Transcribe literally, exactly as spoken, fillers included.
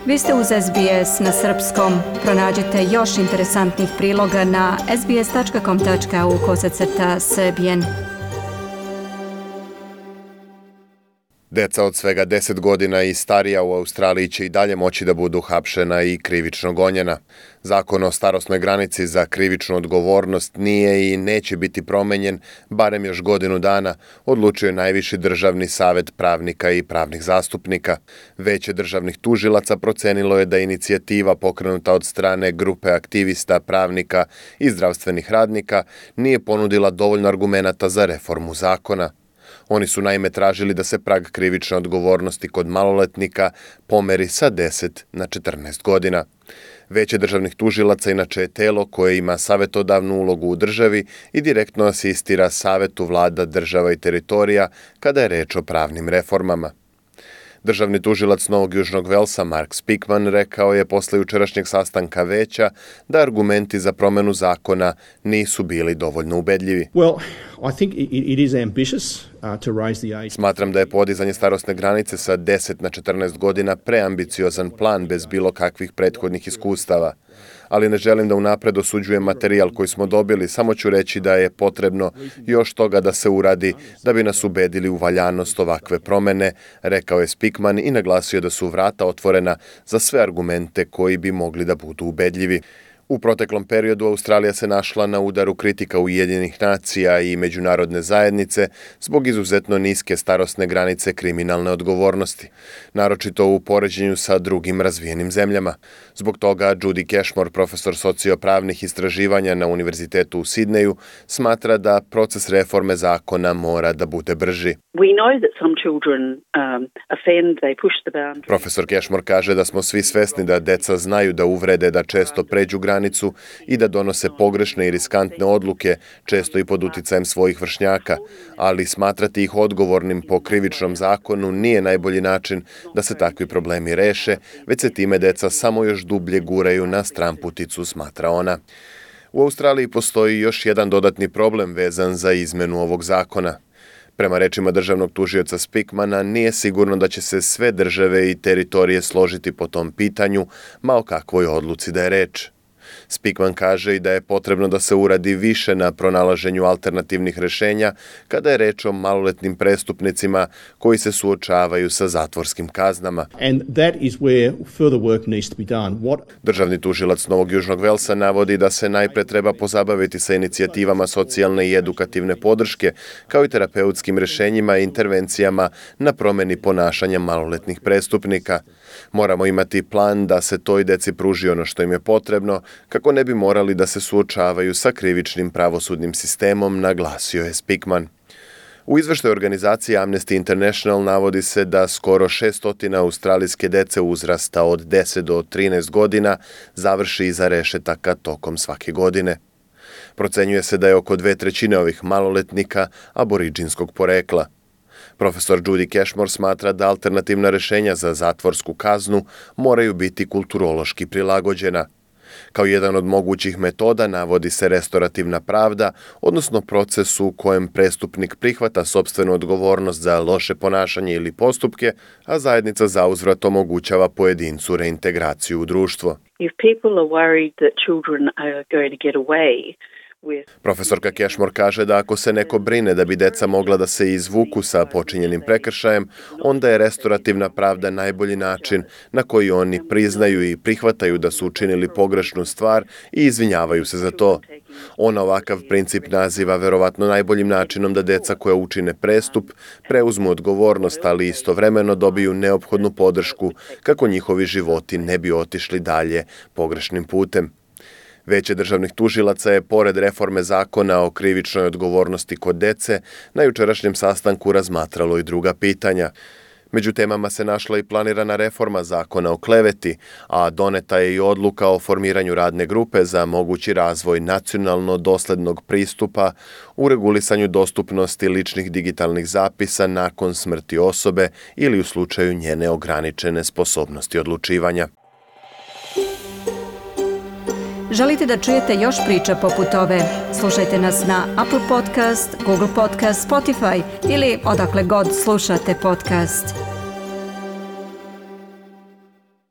Vi ste uz S B S na srpskom. Pronađite još interesantnih priloga na sbs.com.au kosacrta srbijen. Deca od svega deset godina i starija u Australiji će i dalje moći da budu hapšena i krivično gonjena. Zakon o starosnoj granici za krivičnu odgovornost nije i neće biti promenjen barem još godinu dana, odlučio je najviši državni savet pravnika i pravnih zastupnika. Veće državnih tužilaca procenilo je da inicijativa pokrenuta od strane grupe aktivista, pravnika i zdravstvenih radnika nije ponudila dovoljno argumenata za reformu zakona. Oni su naime tražili da se prag krivične odgovornosti kod maloletnika pomeri sa deset na četrnaest godina. Veće državnih tužilaca inače je telo koje ima savetodavnu ulogu u državi i direktno asistira savetu vlada država i teritorija kada je reč o pravnim reformama. Državni tužilac Novog Južnog Velsa Mark Speakman rekao je posle jučerašnjeg sastanka veća da argumenti za promenu zakona nisu bili dovoljno ubedljivi. Well, I think it, it is ambitious uh, to raise the age. Smatram da je podizanje starosne granice sa deset na četrnaest godina preambiciozan plan bez bilo kakvih prethodnih iskustava. Ali ne želim da unapred osuđujem materijal koji smo dobili, samo ću reći da je potrebno još toga da se uradi da bi nas ubedili u valjanost ovakve promene, rekao je Speakman i naglasio da su vrata otvorena za sve argumente koji bi mogli da budu ubedljivi. U proteklom periodu Australija se našla na udaru kritika Ujedinjenih nacija i međunarodne zajednice zbog izuzetno niske starosne granice kriminalne odgovornosti, naročito u poređenju sa drugim razvijenim zemljama. Zbog toga Judy Cashmore, profesor sociopravnih istraživanja na Univerzitetu u Sidneju, smatra da proces reforme zakona mora da bude brži. Profesor Cashmore kaže da smo svi svesni da deca znaju da uvrede, da često pređu granicu i da donose pogrešne i riskantne odluke, često i pod uticajem svojih vršnjaka, ali smatrati ih odgovornim po krivičnom zakonu nije najbolji način da se takvi problemi reše, već se time deca samo još dublje guraju na stramputicu, smatra ona. U Australiji postoji još jedan dodatni problem vezan za izmenu ovog zakona. Prema rečima državnog tužioca Speakmana, nije sigurno da će se sve države i teritorije složiti po tom pitanju, ma o kakvoj odluci da je reč. Speakman kaže i da je potrebno da se uradi više na pronalaženju alternativnih rešenja kada je reč o maloletnim prestupnicima koji se suočavaju sa zatvorskim kaznama. And that is where further work needs to be done. What... Državni tužilac Novog Južnog Velsa navodi da se najpre treba pozabaviti sa inicijativama socijalne i edukativne podrške, kao i terapeutskim rešenjima i intervencijama na promeni ponašanja maloletnih prestupnika. Moramo imati plan da se toj deci pruži ono što im je potrebno, kako ne bi morali da se suočavaju sa krivičnim pravosudnim sistemom, naglasio je Speakman. U izveštaju organizacije Amnesty International navodi se da skoro šesto australijske dece uzrasta od deset do trinaest godina završi iza rešetaka tokom svake godine. Procenjuje se da je oko dve trećine ovih maloletnika aboriđinskog porekla. Profesor Judy Cashmore smatra da alternativna rešenja za zatvorsku kaznu moraju biti kulturološki prilagođena. Kao jedan od mogućih metoda navodi se restorativna pravda, odnosno proces u kojem prestupnik prihvata sopstvenu odgovornost za loše ponašanje ili postupke, a zajednica zauzvrat omogućava pojedincu reintegraciju u društvo. If people are worried that children are going to get away, profesorka Cashmore kaže da ako se neko brine da bi deca mogla da se izvuku sa počinjenim prekršajem, onda je restorativna pravda najbolji način na koji oni priznaju i prihvataju da su učinili pogrešnu stvar i izvinjavaju se za to. Ona ovakav princip naziva verovatno najboljim načinom da deca koja učine prestup preuzmu odgovornost, ali istovremeno dobiju neophodnu podršku kako njihovi životi ne bi otišli dalje pogrešnim putem. Veće državnih tužilaca je, pored reforme zakona o krivičnoj odgovornosti kod dece, na jučerašnjem sastanku razmatralo i druga pitanja. Među temama se našla i planirana reforma zakona o kleveti, a doneta je i odluka o formiranju radne grupe za mogući razvoj nacionalno doslednog pristupa u regulisanju dostupnosti ličnih digitalnih zapisa nakon smrti osobe ili u slučaju njene ograničene sposobnosti odlučivanja. Želite da čujete još priča poput ove? Slušajte nas na Apple Podcast, Google Podcast, Spotify ili odakle god slušate podcast.